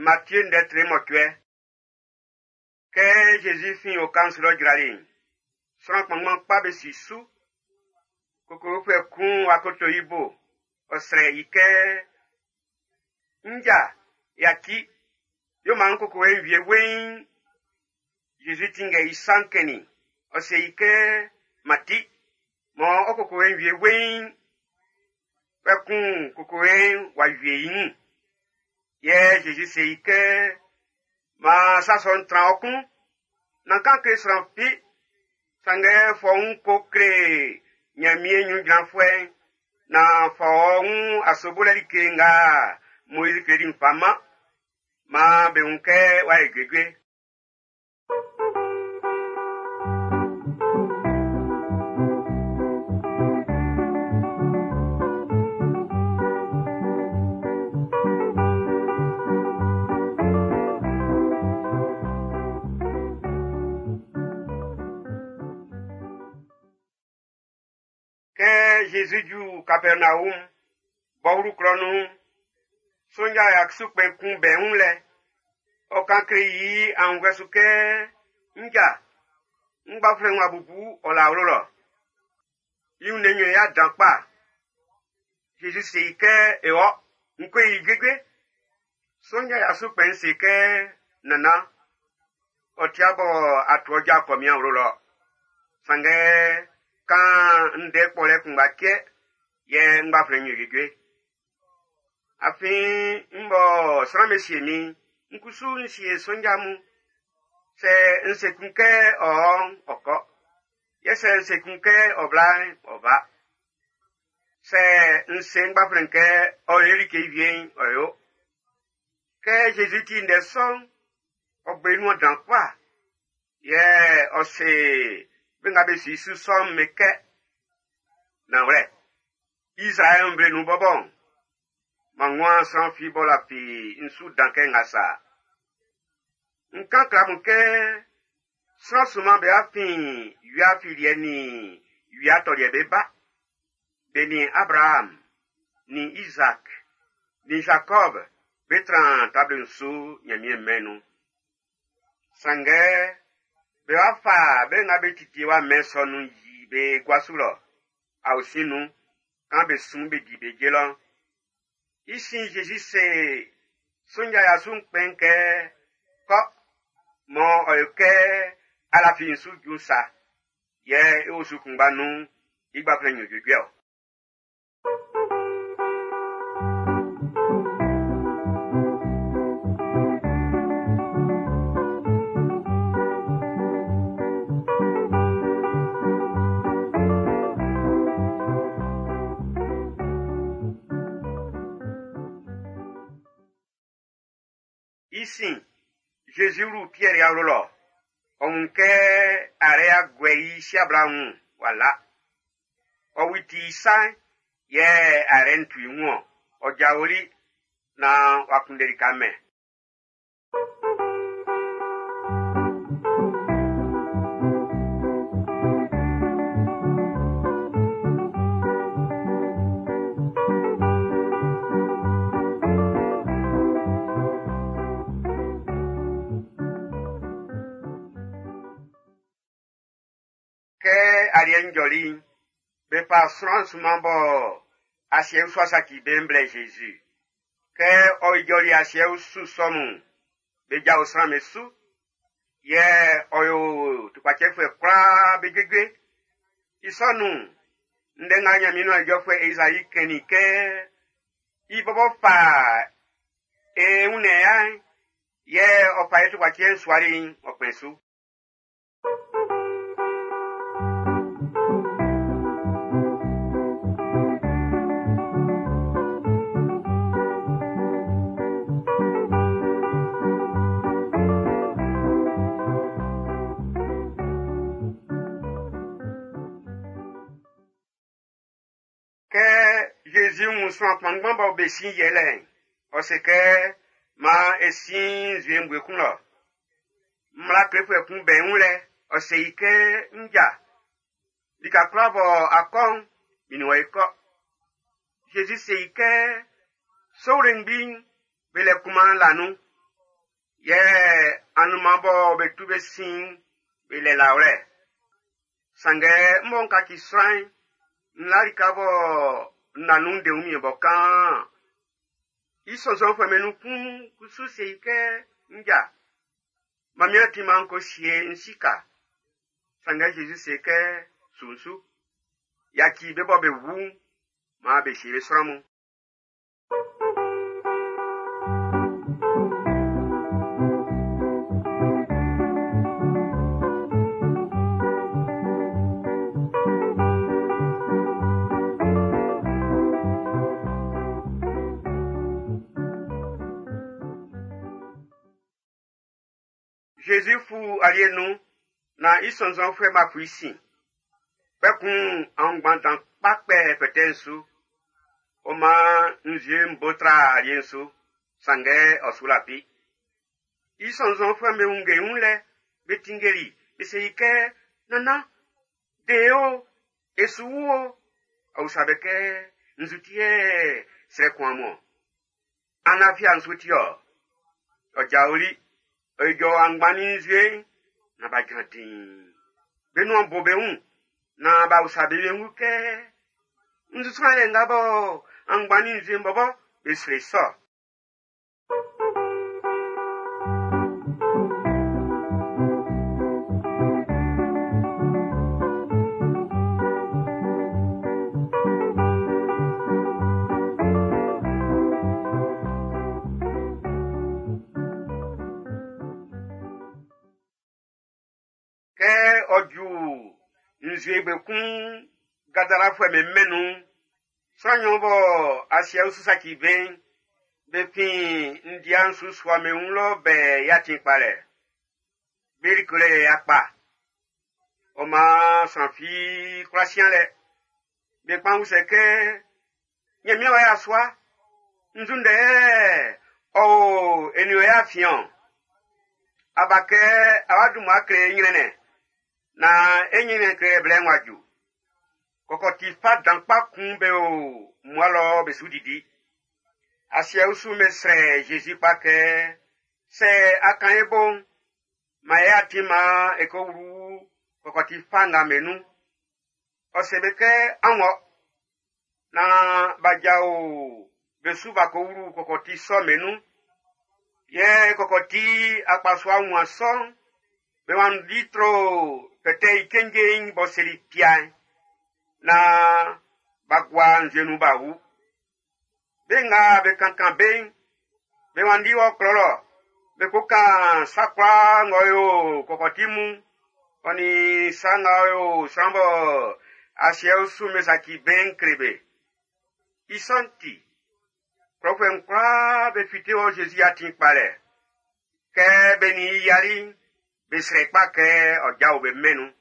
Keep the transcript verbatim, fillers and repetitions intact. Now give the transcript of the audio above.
Matthieu ndɛ tre mɔcuɛ. Kɛ Zezi fin oka'n su lɔ jrali'n, sran kpanngban kpa be si su. Kokowefuɛ kun w'a koto i bo, ɔ srɛ i kɛ, “Nja, yaci, yo maan kokowe'n wie weiin.” Zezi tinngɛ i sa'n kɛnnin i, ɔ se i kɛ, “Mati, mɔ ɔ kokowe'n wie weiin.” Kpɛkun kokowe'n w'a wie i wun. Yɛ Zezi se i kɛ, “Maan sa sɔ'n tran ɔ klun. Nán kan kle sran fi. Sanngɛ fɔ wun ko kle Ɲanmiɛn ɲrun jranfuɛ'n naan fa ɔ wun asobolɛ like nga Moizi kleli'n fa man. Maan be wun kɛ w'a yo juejue.” Kɛ Zezi ju Kapɛrnaum, b'ɔ wlu klɔ nun'n, sonja ya su kpɛn kun bɛ wun lɛ. Ɔ kan kle i aunnvuɛ su kɛ, “Nja, n gbanflɛn wa bubu ɔ la awlo lɔ. I wunnɛn yo i ya dan kpa.” Zezi se i kɛ, “E wɔ, n ko yo i juejue.” Sonja ya su kpɛn'n se kɛ, “Nannan, ɔ tia bɔ a tu ɔ ja kɔ min awlo lɔ. Sanngɛ kan ndɛ kpɔlɛ kunngba cɛ, yɛ n gbanflɛn'n yo juejue. Afin n bɔ sran'm be sie min'n, n kusu n sie sonja mun. Sɛ n se kun kɛ ɔ ɔ'n, ɔ kɔ. Yɛ sɛ n se kun kɛ ɔ bla'n, ɔ ba. Sɛ n se n gbanflɛn kɛ ɔ yo like wie'n, ɔ yo.” Kɛ Zezi ti ndɛ sɔ'n, ɔ gbe nuan dan kpa. Yɛ ɔ se be nga be si su sɔ'n be kɛ, “Nanwlɛ, Izraɛl nvle nun bɔbɔ'n, man nguan sran fi b'ɔ lafi n su dan kɛ nga sa. N kan kle amun kɛ sran sunman be afin wia afiliɛ nin wia atɔliɛ be ba. Be nin Abraham, nin Isaac, nin Jacob be tran table'n su Ɲanmiɛn mɛn'n nun. Sanngɛ be wa fa be nga be titi wa mɛn sɔ nun yi be gua su lɔ, aosin nun, kan be sun be di be je lɔ'n. I sin Zezi se sonja ya su kpɛn'n kɛ, “Kɔ, mɔ ɔ yo kɛ a lafi n su ju sa, yɛ i osu kunngba nun'n, i gbanflɛn'n yo juejue-ɔ.” I sin, Zezi wlu Piɛr i awlo lɔ. Ɔ wun kɛ arɛ aguɛ i siabla wun w'a la. Ɔ witi i sa'n, yɛ arɛ'n tu i wun-ɔn. Ɔ jaoli naan w'a kunndɛ lika mɛn. Kɛ aliɛ'n jɔli'n, be fa sran sunman bɔ asiɛ usu saci be blɛ Zezi. Kɛ ɔ ijɔli asiɛ usu sɔ mun'n, be jao sran'm be su. Yɛ ɔ yo tukpacɛfuɛ kwlaa be juejue. I sɔ nun'n, ndɛ nga Ɲanmiɛn nuan ijɔfuɛ Ezayi kɛnnin kɛ i bɔbɔ fa e wunnɛn ya'n, yɛ ɔ fa e tukpacɛ'n suali'n, ɔ kpɛn su. Kɛ Zezi wun sran kpanngban bɔ be sin yɛlɛ'n, ɔ se kɛ, “Maan e sin nzue ngbue kun lɔ.” Mmla klefuɛ kun bɛ wun lɛ, ɔ se i kɛ, “Nja, lika kwlaa bɔ a kɔ'n, min nin wɔ e kɔ.” Zezi se i kɛ, “Sowlengbi'n, be lɛ kunman la nun. Yɛ anunman bɔ be tu be sin'n, be lɛ lawlɛ. Sanngɛ m bɔ n kaci sran'n, n la lika bɔ n na nun de wunmiɛn bɔ kaan. I sɔnnzɔnfuɛ'm be nun kun kusu se i kɛ, nja, man min atin man n ko sie n si ka. Sanngɛ Jésus se kɛ, su n su. Yaci be bɔ be wu'n, man be sie be sran mun. Jésus fu alie nun na i sɔnnzɔnfuɛ b'a fu i sin. Kpɛkun aunngban dan kpa kpɛ fɛtɛ'n su. Ɔ maan nzue'n bo tra alie'n su, sanngɛ ɔ su lafi. I sɔnnzɔnfuɛ'm be wunge i wun lɛ, be tinngeli, be se i kɛ, nannan, de e o, e su wu o. Ɔ usa be kɛ, nzu ti yɛ srɛ kun amun ɔ? An lafi an su ti ɔ? Ɔ jaoli, ɔ ijɔ aunngban nin nzue'n, na b'a jran diin. Be nuan bo be wun, na b'a usa be wiengu kɛ, nzu sran yɛ nga bɔ aunngban nin nzue'n bɔbɔ be srɛ sɔ. Kɛ ɔ ju nzue gbe kun Gadarafuɛ'm be mɛn'n nun'n, sran nnyɔn bɔ asiɛ usu saci be'n, be fin ndia'n su sua be wun lɔ bɛ i atin kpalɛ. Be like lɛ yɛ kpa. Ɔ maan sran fi kwla sian lɛ. Be kpan usɛ kɛ, Ɲanmiɛn wa yasua, nzu ndɛ ɔ o e nin wɔ e afiɛn-ɔn? Aba kɛ a wa dun mmua kle e ɲrɛnnɛn, na e ɲrɛnnɛn klelɛ blɛ'n w'a ju. Kɔkɔti fa dan kpa kun be o mmua lɔ be su didi. Asiɛ usu'n be srɛ Jésus kpa kɛ, sɛ a kan e bo'n, man e atin man e ko wlu kɔkɔti fa nga be nun. Ɔ se be kɛ, an wɔ. Na b'a jao be su b'a ko wlu kɔkɔti sɔ'n be nun. Yɛ kɔkɔti akpasua wunmuan sɔ'n, be wanndi tro fɛtɛ i cenje'n b'ɔ seli pia'n, na b'a gua nzue nun b'a wu. Be nga be kankan be'n, be wanndi wɔ klɔ lɔ, be ko kan sa kwlaa ng'ɔ yo kɔkɔti mun, ɔ nin sa nga ɔ yo sran bɔ asiɛ usu'n be saci be'n kle be. I sɔ'n ti, klɔfuɛ'n kwlaa be fite wɔ Jésus atin kpalɛ. Kɛ be nin i yiali'n, be srɛ kpa kɛ ɔ jao be mɛn'n nun.